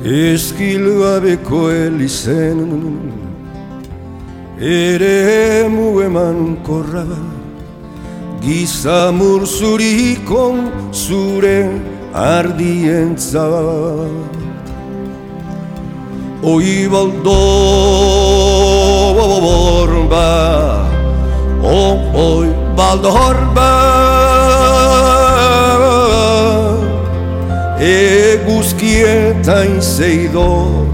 Eskilgabeko elizen eremu emankorra gizamur zurikon zure ardientza Oi baldo borba oi baldorba Eguzkietain zeidor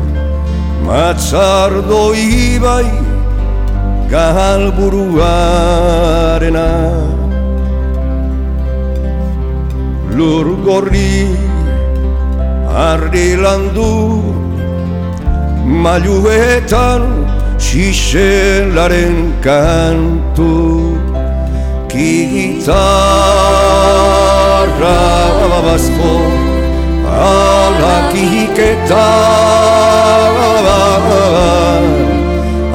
Matzardo ibai galburuarena Lur gorri ardi landu Mailuetan xixelaren kantu Gitarra babazko Alakiketa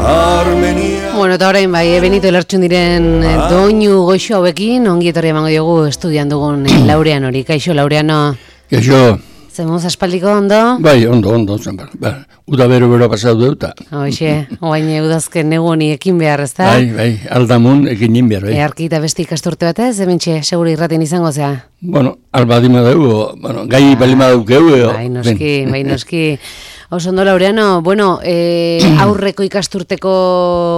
Armenia Bueno, eta orain bai, Benito Elartxun diren doinu goxo hauekin ongi etorri emango diogu estudian dugun Laureano hori. Kaixo, Laureano. Kaixo. Zemuz aspaldiko ondo? Bai, ondo, zenbar. Uda bero pasatu deuta. Hoxe, oain udazken negu honi ekin behar, ez da? Bai, aldamun ekin nin behar, bai. Earki eta besti ikasturte batez, hementxe, seguru irraten izango zea. Bueno, albadima dugu, gai balima dugu. Bai, noski. Oso ondo, Laureano, bueno, aurreko ikasturteko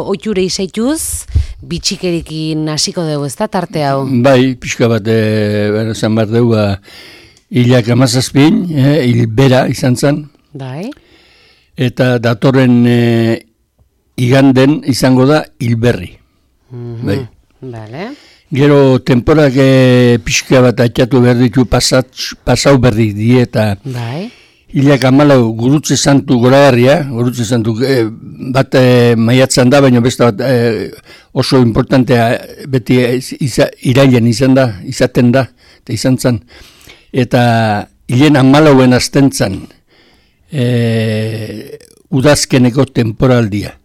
oiture izaituz, bitxikerikin hasiko dugu, ez da, tarte hau? Bai, pixka bat, zan bat dugu, hilak amazazpin, hilbera izan zen. Bai. Eta datorren iganden izango da hilberri. Bai. Bale. Gero temporak pixka bat atxatu behar ditu pasau berri dieta. Bai. Hilak amalau gurutze santu goragarria, gurutze santu bat maiatzen da, baina beste bat oso importantea beti irailen izaten da, eta izan zen. Eta hilen amalauen azten zen udazkeneko temporaldia.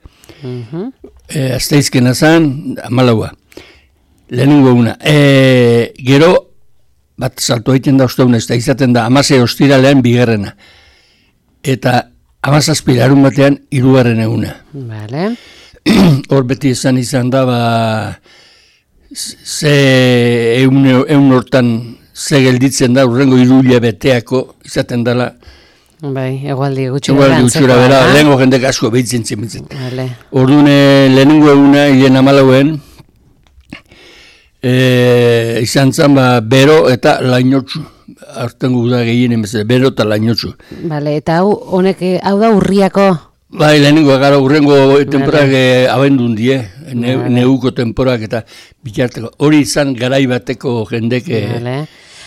Azteizkena zen, amalaua. Lehenengo una. Gero, bat salto egiten da uste eta izaten da amase ostiralean bigarrena. Eta amazazpi larun batean hirugarren eguna. Vale. Hor beti izan da, ze eun hortan ze gelditzen da, urrengo hiruila beteako izaten dela. Bai, egualdi gutxura bera, lehengo jendek asko behitzen zen. Vale. Orduan lehenengo eguna, hilen amalauen, izan zen bero eta lainotxu. Artengo da gehien emezera, bero eta lainotxu. Vale, eta hau da urriako? Bai, lehenengo gara urrengo temporak abendun die, neuko temporak eta bitarteko. Hori izan garai bateko jendek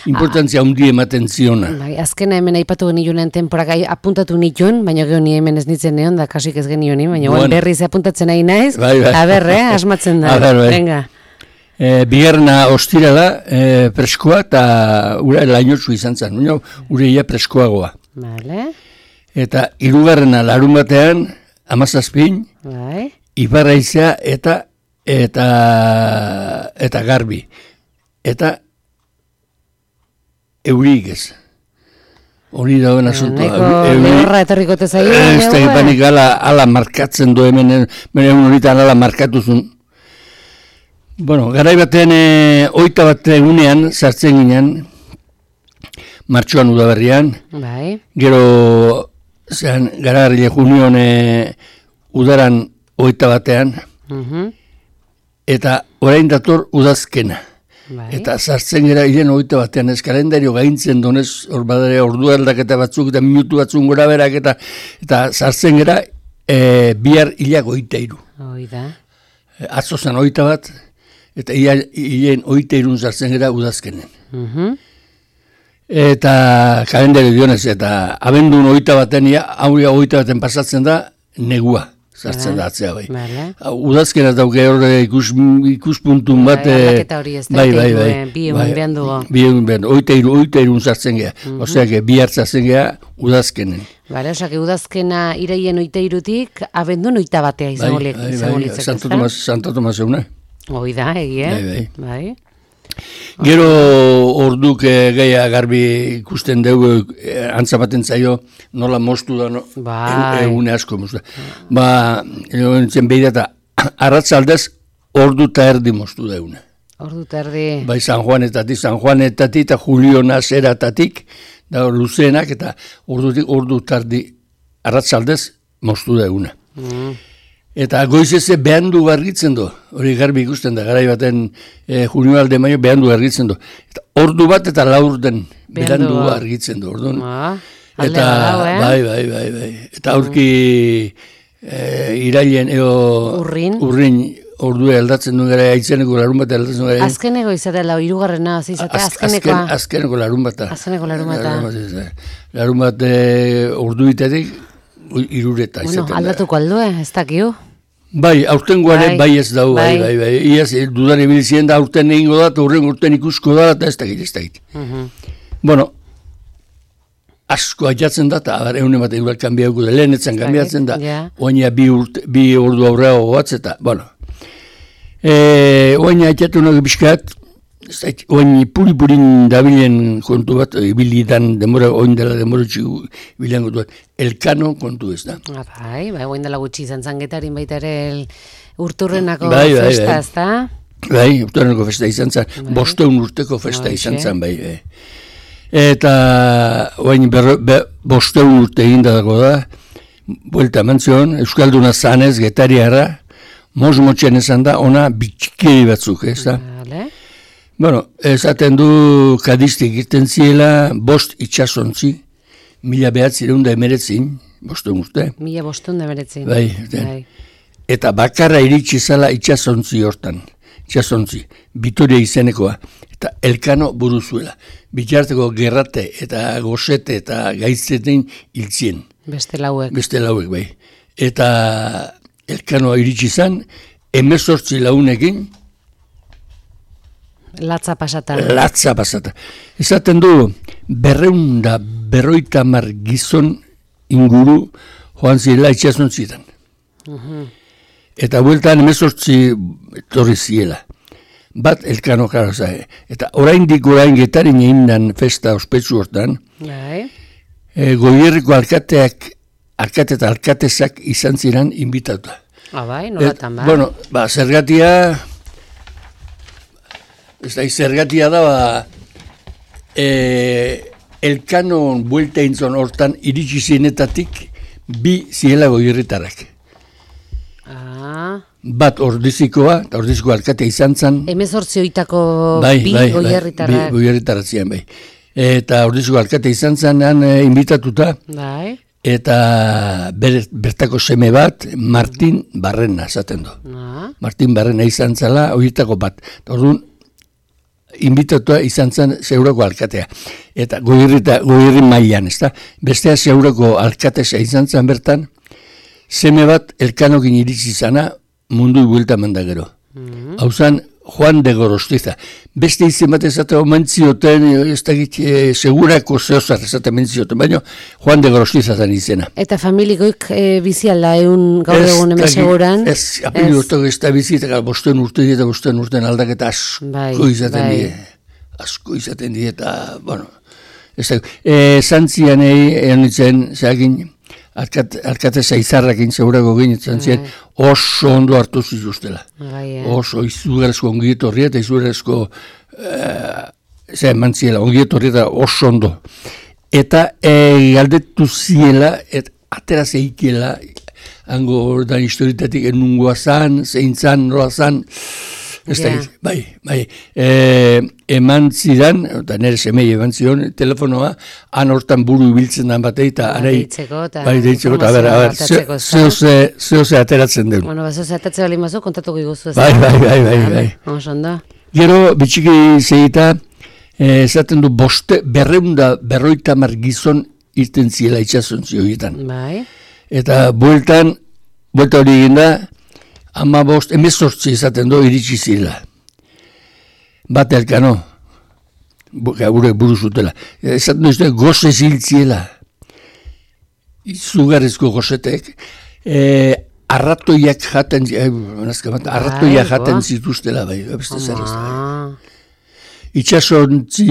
importantzia hundi ematen ziona. Bai, azkena hemen aipatu genioen temporak apuntatu nituen, baina gero ni hemen ez nitzen neon, da kasik ez genioen, baina berriz apuntatzen nahi naiz. Bai. Aber, asmatzen da. Venga. Bigarrena ostirala preskoa eta ura lainotsu izan zen, ureia preskoagoa. Vale. Eta hirugarrena larun batean, amazazpin, bai. Ibarraizea eta garbi. Eta eurik ez. Hori dauen asuntoa. Lehorra etorriko tezaio. Ez da ipanik ala markatzen du hemen horitan ala markatuzun. Bueno, garai batean, 21 egunean, sartzen ginen, martxoan udaberrian. Bai. Gero, garagarrile junion udaran 21 eta orain dator udazkena. Bai. Eta sartzen gara hilen 21 ez kalendario gaintzen donez, hor badare ordu aldaketa batzuk eta minutu batzuk gora berak eta sartzen gara bihar hilak 23. Hoi da. Atzo zen 21 eta hilen 23 sartzen gara udazkenen. Eta kalendario dionez, eta abendun 21 hauria 21 pasatzen da negua. Sartzen da atzea bai. Udazkena dauke hor ikuspuntun bat. Aldaketa hori ez da. Bai. Bi egun behan dugu. Bi egun behan dugu. Oiteirun sartzen geha. Oseak, bi hartzatzen geha udazkenen. Bale, osak, udazkena iraien 23-tik, abendun 21 izango litzak. Santo Tomas euna. Hoi da, egie. Bai. Gero orduk gehiago garbi ikusten dugu antzamaten zaio nola moztu da, egune asko moztu da. Nintzen behida eta arratzaldez ordu eta erdi moztu da egune. Ordu eta erdi. Bai, San Juanetatik eta Julio Nazeratatik, da luzeenak eta ordu eta erdi arratzaldez moztu da egune. Eta goizeze behandu gargitzen du, hori garbi ikusten da, garai baten junio alde maio behandu gargitzen du. Eta ordu bat eta laur den behandu gargitzen du, orduan. Eta bai. Eta aurki irailen urrin ordua aldatzen duen gara, aitzeneko larun bat aldatzen duen gara. Azkeneko izatela, hirugarrena, izatea, azkenekoa. Azkeneko larun bata. Larun bat orduitatik, irureta. Bueno, aldatuko aldue, ez dakiu. Bai, aurtengoare bai ez dau, bai. Iaz, dudan ibilizien da aurten egingo da, eta urten ikusko da, eta ez dakit. Bueno, asko aiatzen da, eta egunen bat egunak kanbiauko da, lehenetzen kanbiatzen da, oina bi ordu aurreago goatz, eta, bueno. Oina aiatu nago bizkat, oin puri-purin dabilen kontu bat, ibilidan demora, oin dela demora txigu ibilian kontu bat, Elkano kontu ez da. Bai, oin dela gutxi izan zangetarin baita ere urturrenako festa, ez da? Bai, urturrenako festa izan zan, 500 urteko festa izan zan, bai. Eta oin 500 urte egin dago da, buelta mantzion, Euskalduna zanez, getariara, mozmotxen esan da, ona bitxikeri batzuk, ez da? Bueno, esaten du kadistik irten ziela, 5 itxasontzi, 1919, 500 urte. 1519. Bai. Eta bakarra iritsi zala itxasontzi hortan, Vitoria izenekoa, eta Elkano buruzuela. Bitarteko Gerrate eta Gosete eta Gaitzetein hiltzien. Beste lauek, bai. Eta Elkanoa iritsi zan, 18 launekin, Latza pasata. Esaten du, 250 gizon inguru joan zirela itxasontzitan. Eta bueltan 18 etorri ziela. Bat Elkano karo zahe. Eta orain getarin egin festa ospetsu hortan, Goierriko alkate eta alkatezak izan ziren inbitatuta. Bai, nolatan ba? Bueno, zergatia... Zergatia da, Elkanon buelta intzon hortan iritsi zinetatik bi ziela Goierritarrak. Bat Ordizikoa, eta Ordiziko alkate izan zan. 18 oitako bi Goierritarrak. Bi Goierritarrak zian, bai. Eta Ordiziko alkate izan zan, inbitatuta. Bai. Eta bertako seme bat, Martin Barrena, esaten du. Martin Barrena izan zala, horietako bat. Orduan, inbitatua izan zen Zeurako alkatea. Eta Goierri mailan, ez da? Bestea Zeurako alkatesa izan zen bertan, seme bat Elkanokin iritsi zana mundu buelta mandagero. Hau zan Juan de Gorostiza. Beste izen bat ezatea mentzioten, ez da segurako zehozar ezatea mentzioten, baina Juan de Gorostiza zen izena. Eta familikoik bizialda gaur egun hemen seguran? Ez, apelio ez da bizi, eta 5 urte aldaketa asko izaten die. Asko izaten die, eta, bueno, ez da, zantzian egin nintzen, zeagin, alkateza izarrakin segurako ginen ziren, oso ondo hartu zituztela. Oso izugarezko ongietorri eta izugarezko mantziela, ongietorri eta oso ondo. Eta galdetu ziela, atera zeikiela, hango ordan historitatik enungoa zan, zein zan, nola zan, ez da, bai. Eman zidan, eta nire semei eman zidan, telefonoa, han hortan buru ibiltzen dan batei, eta deitzeko, eta zehose ateratzen den. Bueno, zehose ateratzen bali mazu, kontatuko iguzu ez. Bai. Ondo. Gero, bitxiki zeita, esaten du 250 gizon irten ziela itxasontzi horietan. Bai. Eta buelta hori egin da, 18 izaten du iritsi zirela. Bat Elkano, gure buru zutela. Esaten du goze ziltziela. Izugarrizko gozetek. Arratoiak jaten zituztela, bai. itxasontzi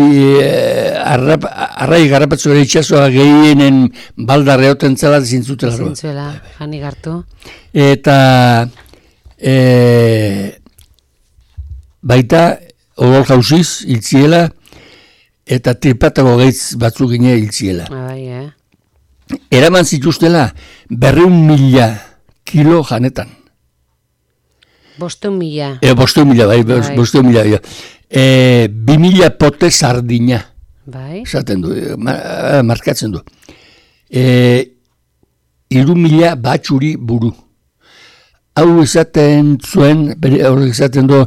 arrai garrapatzu ere itxasoa gehienen baldarre hoten zela zintzutela. Zintzuela, jani gartu. Eta baita odol jauziz hiltziela eta tripatako gaitz batzuk gine hiltziela. Bai, Eraman zituztela 200.000 kilo janetan. 500.000. 500.000, bai, 500.000. 2.000 pote sardina. Bai. Esaten du, markatzen du. 3.000 batxuri buru. Hau izaten zuen, horrek izaten du,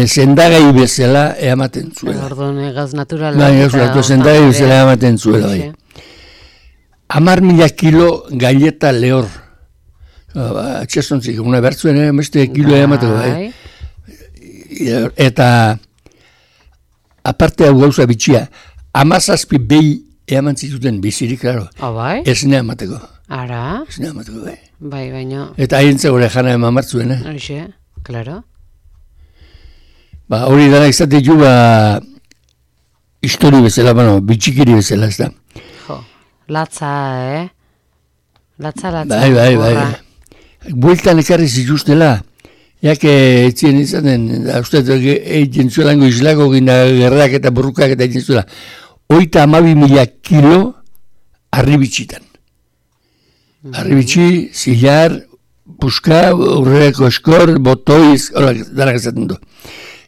zendagai bezala eamaten zuela. Orduan, gauz naturala. Bai, zendagai bezala eamaten zuela, bai. 10.000 kilo galleta lehor. Txestontzik, una bertzuen, beste kilo eamateko, bai. Eta, aparte hau gauza bitxia, 17 behi eaman zituten bizirik, klaro. Bai? Esne emateko. Ara? Esne emateko, bai. Bai, baino. Eta haintzeko ere jana eman martzuen, Horixe, klaro. Hori dara izate ju, histori bezala, bitxikiri bezala, ez da. Jo, latza, Latza. Bai. Bueltan ekarri zituztela, etzien izaten, uste, egin zuelango islako gina gerrak eta burrukak eta egin zuela. 32.000 kilo arribitxitan. Arribitxi, zilar, puska, urreko eskor, botoiz, horak dara gazaten du.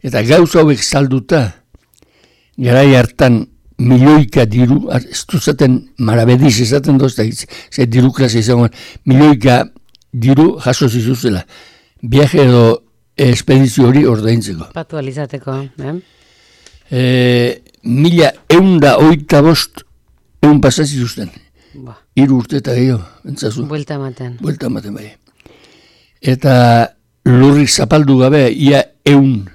Eta gauza hauek salduta, garai hartan milioika diru, ez duzaten marabediz ezaten dozta, ze diru klase izango, milioika diru jaso zizuzela. Viaje edo espedizio hori ordaintzeko. Patu alizateko, 1.185 pasazituzten. 3 urte eta gehiago, entzazu. Buelta ematen, bai. Eta lurrik zapaldu gabe, ia 100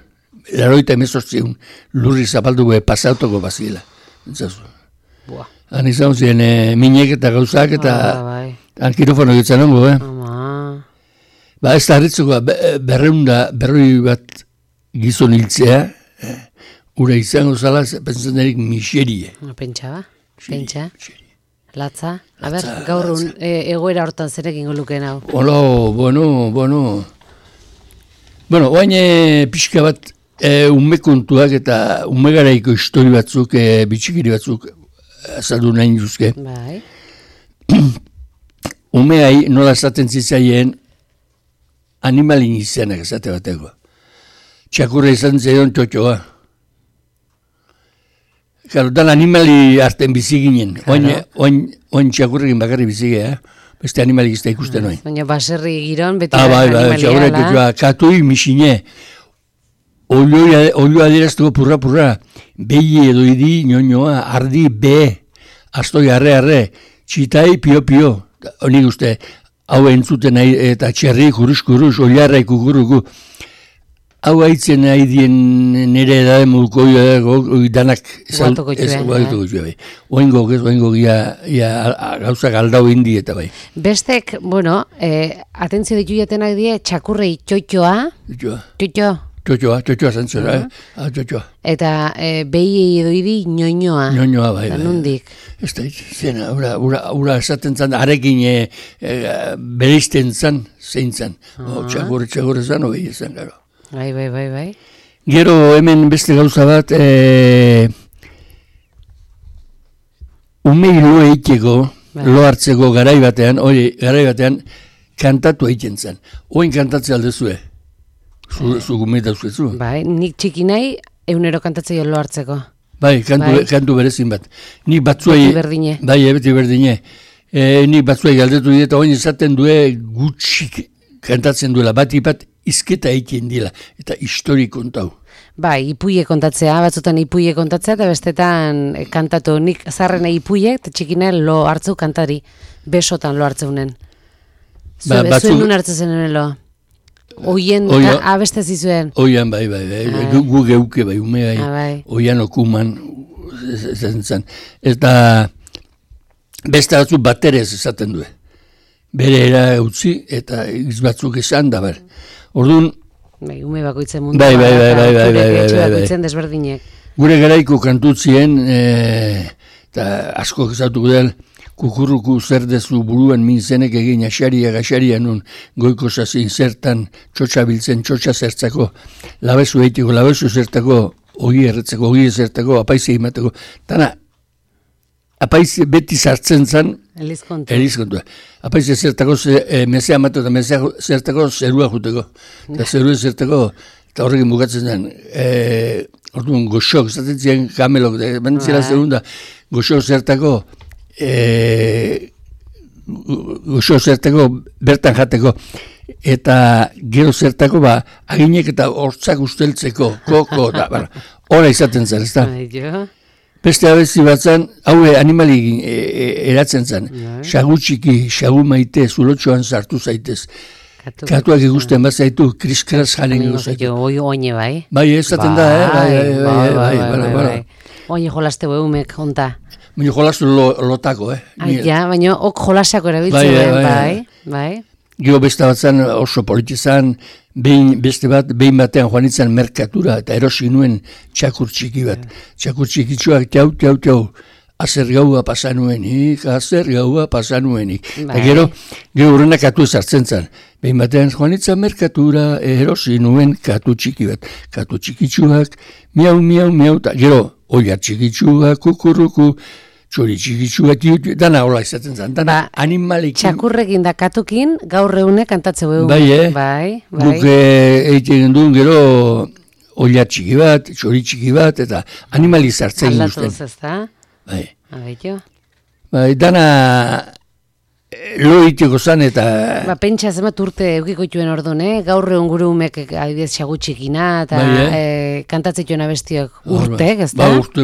lurrik zapaldu gabe pasautoko bazila, entzazu. Han izan ziren minek eta gauzak eta ankirofono gitzen ongo, ez da harritzeko, 200 bat gizon hiltzea, ura izango zala, pentsatzen erik miserie. Pentsa. Latza. Gaur egoera hortan zerekin goluken hau. Bueno, oain pixka bat umekontuak eta umegaraiko histori batzuk, bitxikiri batzuk azaldu nahi duzke. Bai. Umeai nola esaten zitzaien animalin izenak esate bateko. Txakurra izan zaion txotxoa. Claro, dan animali arten bizi ginen. Oin txakurrekin bakarri bizi gea, beste animali izta ikusten oin. Baina baserri giron, beti animalia. Txakurra txotxoa, katui, misine, olioa adieraztuko purra, behi edo idi, nioa, ardi, astoi, arre, txitai, pio, honik uste, hau entzuten eta txerri, kurus, oliarra ikukuruku, hau haitzen nahi dien nire edade muduko danak guatuko txue. Oingo gauzak aldau indi eta bai. Bestek, atentzio ditu jatenak die, txakurrei txotxoa. Txotxoa zentzera, txotxoa. Eta behi edo idi nioinoa. Nioinoa, bai. Nundik. Ez da, zena, ura esaten zan, arekin bereizten zan, zein zan. Txakurre zan, hori zan, gero. Bai. Gero hemen beste gauza bat, umei lo eiteko, lo hartzeko garai batean, kantatu egiten zen. Oin kantatzea aldezue. Zu gumeta zuetzu. Bai, nik txiki nahi, egunero kantatzea lo hartzeko. Bai, kantu berezin bat. Nik batzuei... Beti berdine. Nik batzuei galdetu dira, eta oin esaten due gutxik kantatzen duela, bat izketa egiten dila, eta histori kontau. Bai, ipuie kontatzea, batzutan ipuie kontatzea, eta bestetan kantatu. Nik zarrena ipuie, eta txikina lo hartzeu kantari, besotan lo hartzeunen. Zuen nun hartzezen lo? Oien, abeste zizuen? Oian, bai, gu geuke, bai, ume, oian okuman, zen. Eta beste batzu baterez esaten du. Bere era utzi, eta batzuk esan da, ber. Orduan... Ume bakoitzen mundu. Bai. Bakoitzen desberdinek. Gure garaiko kantutzien, eta asko ezautuko del, kukurruku zer dezu buruan minzenek egin gaxaria nun goiko zazin zertan txotxa biltzen, txotxa zertzako, labezu eitiko, labezu zertako, ogi erretzeko, ogi zertako, apaizi egimateko. Tana, apaizi beti sartzen zan, Elizkontua. Apaizi zertako mesea amatu eta mesea zertako zerua juteko. Eta zerua zertako, eta horrekin bukatzen zen, orduan goxok, zaten ziren kamelok, bentzela zerunda, goxok zertako, goxo zertako bertan jateko eta gero zertako aginek eta hortzak usteltzeko koko da, hora izaten zen, ez da? Beste abezi bat zen, haue animali eratzen zen, xagu txiki, xagu maite, zulotxoan sartu zaitez. Katuak ikusten bat zaitu, kriskraz jaren egu zaitu. Oine bai. Bai, ezaten da, bai. Oine jolaste behumek, onta. Baina jolastu lotako, baina ok jolasako erabiltzen, bai. Gero beste bat zen oso politizan, beste bat, behin batean joan itzan merkatura, eta erosi nuen txakur txiki bat. Txakur txikitsuak, tiau, azer gaua pasanuenik. Eta gero horrenak katu ezartzen zen. Behin batean joan itzan merkatura, erosi nuen katu txiki bat. Katu txikitsuak, miau, eta gero oiar txikitsuak, kukurruku, txori txikitsuak, dana hola izaten zen, dana animalikin. Txakurrekin da katukin, gaur eune kantatze behu. Bai, Guk egiten duen gero oiar txiki bat, txori txiki bat, eta animali zartzen guztien. Aldatu ez da? Bai. Abeito. Bai, dana lo iteko zan eta... Pentsa zemat urte eukikoituen orduan, gaur egun gure umek adibidez xagutxikina eta kantatzituen abestiok urtek, ez da? Urte,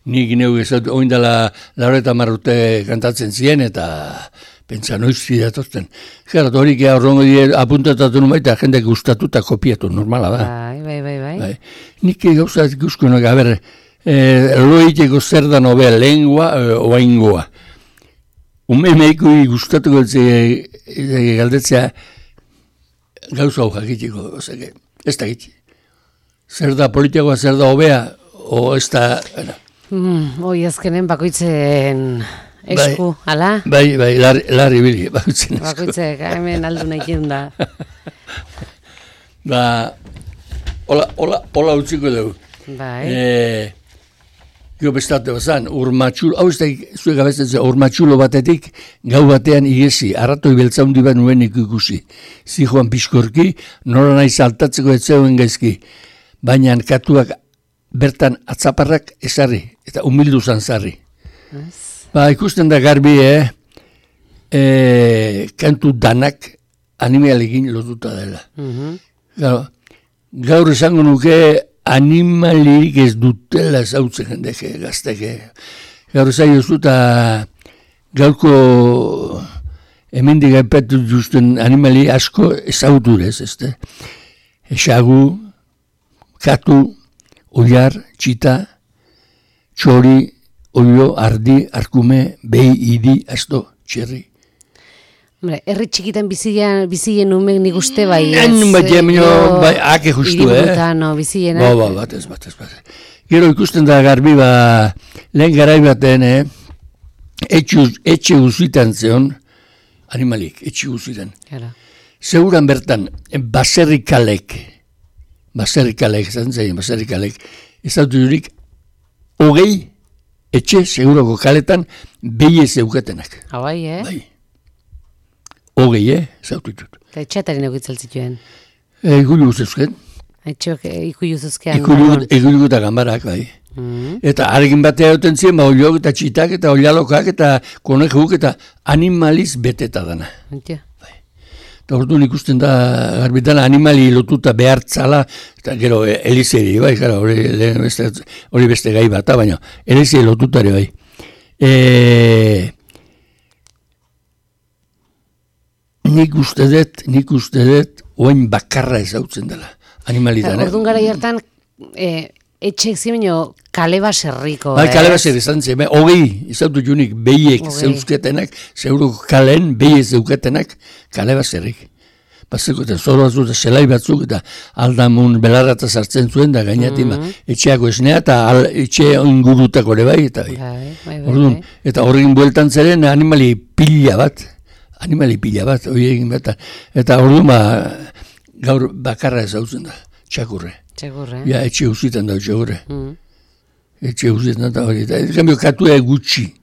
nik neu ezatu, oindala laureta marrute kantatzen ziren eta pentsa noiz zidatozten. Gerat horik horrengo apuntatatu nun baita jendek gustatuta kopiatu, normala da. Bai. Nik gauza ikuskoenak, lo iteko zer da nobea, lengua oaingoa. Meiko gustatuko galdetzea gauza hau jakitiko, ez da gitzi. Zer da politikoa, zer da hobea, o ez da... Hoi azkenen bakoitzen esku, ala? Bai, larri bili, bakoitzen esku. Bakoitzek, hemen aldu nahi da. Hola utziko dugu. Bai. Gio bestate bazan, urmatxulo, hau ez da zuek abetzen zen, urmatxulo batetik gau batean igezi, arratoi beltzaundi bat nuen ikusi. Zijoan pixkorki, nora nahi saltatzeko etzeuen gaizki. Baina katuak bertan atzaparrak ezarri, eta humildu zantzarri. Ikusten da garbi, kantu danak animalekin lotuta dela. Gaur esango nuke, animalirik ez dutela zautzen jendeke, gazteke. Gaur ezai osu eta gaurko hemendik aipatu justen animali asko ezauturez, ezte. Esagu, katu, oiar, txita, txori, oio, ardi, arkume, behi, idi, asto, txerri. Herri txikitan bizien umek nik uste bai ez. Bai, ake justu, bizienak. Batez. Gero ikusten da garbi, lehen garai baten, etxe guzitan zeon, animalik, etxe guzitan. Seguran bertan, baserrikalek, ez dut jurik, hogei etxe seguroko kaletan behi ez euketenak. Bai, Bai. Hogei, zaututut. Eta etxeataren egitzen zituen? Ikuilu guztuzken. Etxeok ikuilu zuzkean? Ikuilu eta gambarak, bai. Eta arekin batea duten ziren, oliok eta txitak eta olialokak eta konejuk eta animaliz beteta dana. Eta orduan ikusten da, garbitan animali lotuta behartzala, eta gero elizeri, bai, hori beste gai bat, baina elizeri lotutare, bai. Nik uste dut, oain bakarra ezautzen dela, animalitan. Orduan gara hartan, etxek zimeno kale baserriko. Bai, kale baser izan zen, hogei izautu junik behiek zeuzketenak, zeuro kalen behiek zeuketenak kale baserrik. bazeko eta zoro batzuk eta zelai batzuk eta aldamun belarrata sartzen zuen da gainatik etxeako esnea eta etxe ingurutako ere bai eta orduan, eta horrekin bueltan zeren animali pila bat, hori egin bat, eta orduan gaur bakarra ezautzen da, txakurre. Ja, etxe uzitan da txakurre. Etxe uzitan da hori, eta kambio katua gutxi.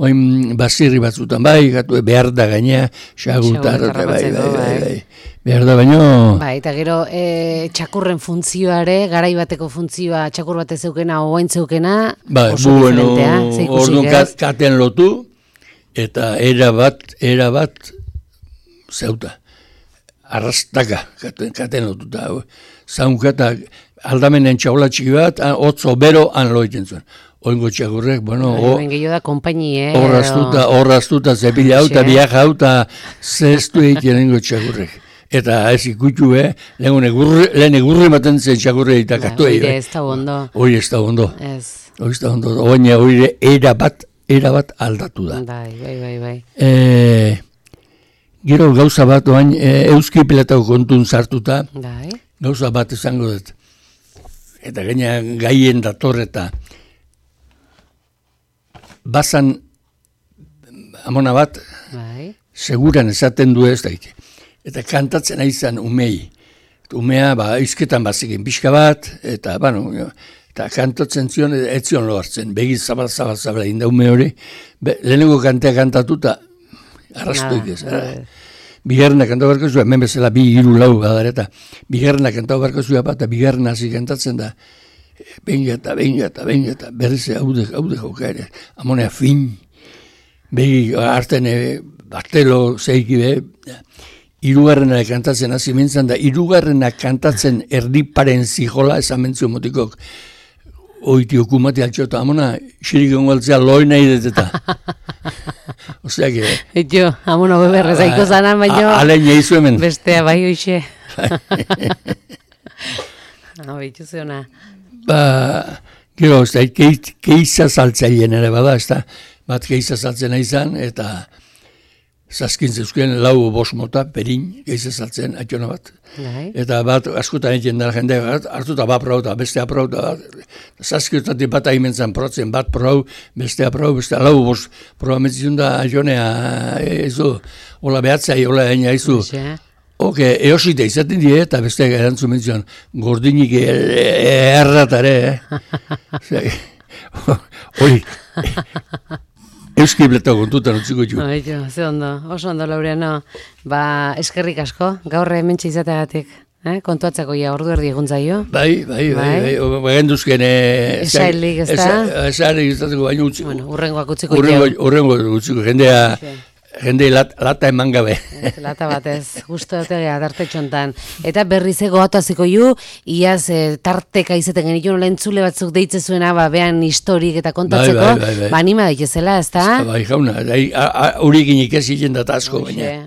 Oin basirri batzutan bai, gatu behar da gainea, xagutar, bai, behar da baino... Bai, eta gero txakurren funtzioare, garai bateko funtzioa txakur bat zeukena, oain zeukena, oso diferentea, orduan katen lotu, eta era bat zeuta, arrastaka katen lotuta, zaunka aldamenen txaula txiki bat, otzo bero han loiten zuen. Oingo txakurrek, bueno... Gehiago da kompainie, horraztuta, zepila hau, eta biaja hau, eta zeztu egiten oingo txakurrek. Eta ez ikutu, lehen egurri maten zen txakurre eta katu egin. Hori ez da ondo. Hori ez da ondo. Oina hori erabat aldatu da. Bai. Gero gauza bat, oain, euski pilatako kontun sartuta, gauza bat izango dut. Eta gaien dator eta bazan amona bat, seguran esaten du ez daite. Eta kantatzen aizan umei. Umea, izketan bazikin pixka bat, eta, eta kantatzen zion, ez zion lo hartzen, begi zabal inda ume hori. Lehenengo kantea kantatu eta arrastuik ez. Bigarrena kantatu barko zua, hemen bezala 2-3 badareta. Bigarrena kantatu barko zua bat, eta bigarrena hasi kantatzen da, benga eta berriz haude joka ere. Amonea fin, begi harten bartelo zeiki be, hirugarrena kantatzen hasi mintzen da, hirugarrena kantatzen erdiparen zijola, esan mentzio motikok, oiti okumati altxota, amona, xirik ongaltzea loi nahi deteta. Osea que... Jo, amona beberrez aiko zanan, baina... Alen jaizu hemen. Bestea, bai hoxe. Baitu zeona. Gero, keiza saltzaien ere bada, bat keiza saltzen izan, eta zazkin zeuzken 4-5 mota, perin, keiza saltzen, atxona bat. Eta bat, askotan egiten dara jende, hartuta bat prau, eta bestea prau, zazkiotatik bat ahimentzan protzen, bat prau, bestea prau, bestea 4-5 prau ametzizun da, atxonea, ezo, hola behatzai, hola egin haizu. Eosita izaten die, eta besteak erantzun mentzion, gordinik erratare, hori, euski bleto kontutan utziko jo. Ze ondo, oso ondo, Laureano. Eskerrik asko, gaur hementxe izateagatik, kontuatzeko ja ordu erdi egun zaio. Bai, genduzken... Esailik, ez da? Esailik izateko baino utziko. Urrengoak utziko jo. Urrengoak utziko, jende lata eman gabe. Lata batez, justo etegea tarte txontan. Eta berriz goataziko ju, iaz tarteka izaten genitun lentzule batzuk deitze zuena, behan historik eta kontatzeko, anima daitezela, ez da? Bai, jauna, horiek inik ez egin data asko baina.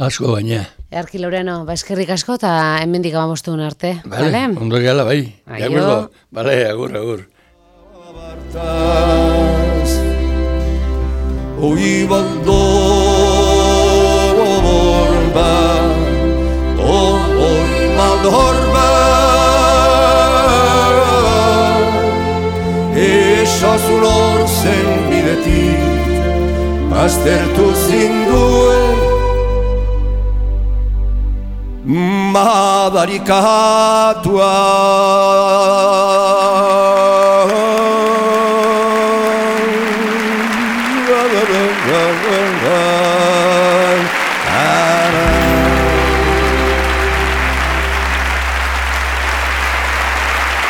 Asko baina. Earki Laureano, eskerrik asko eta hemendik abamostuen arte. Bale, ondo gala, bai. Aio. Bale, agur. Oivaldo orba, oivaldo orba, esazun orzen bidetik, baztertu zinduen, madarikatua.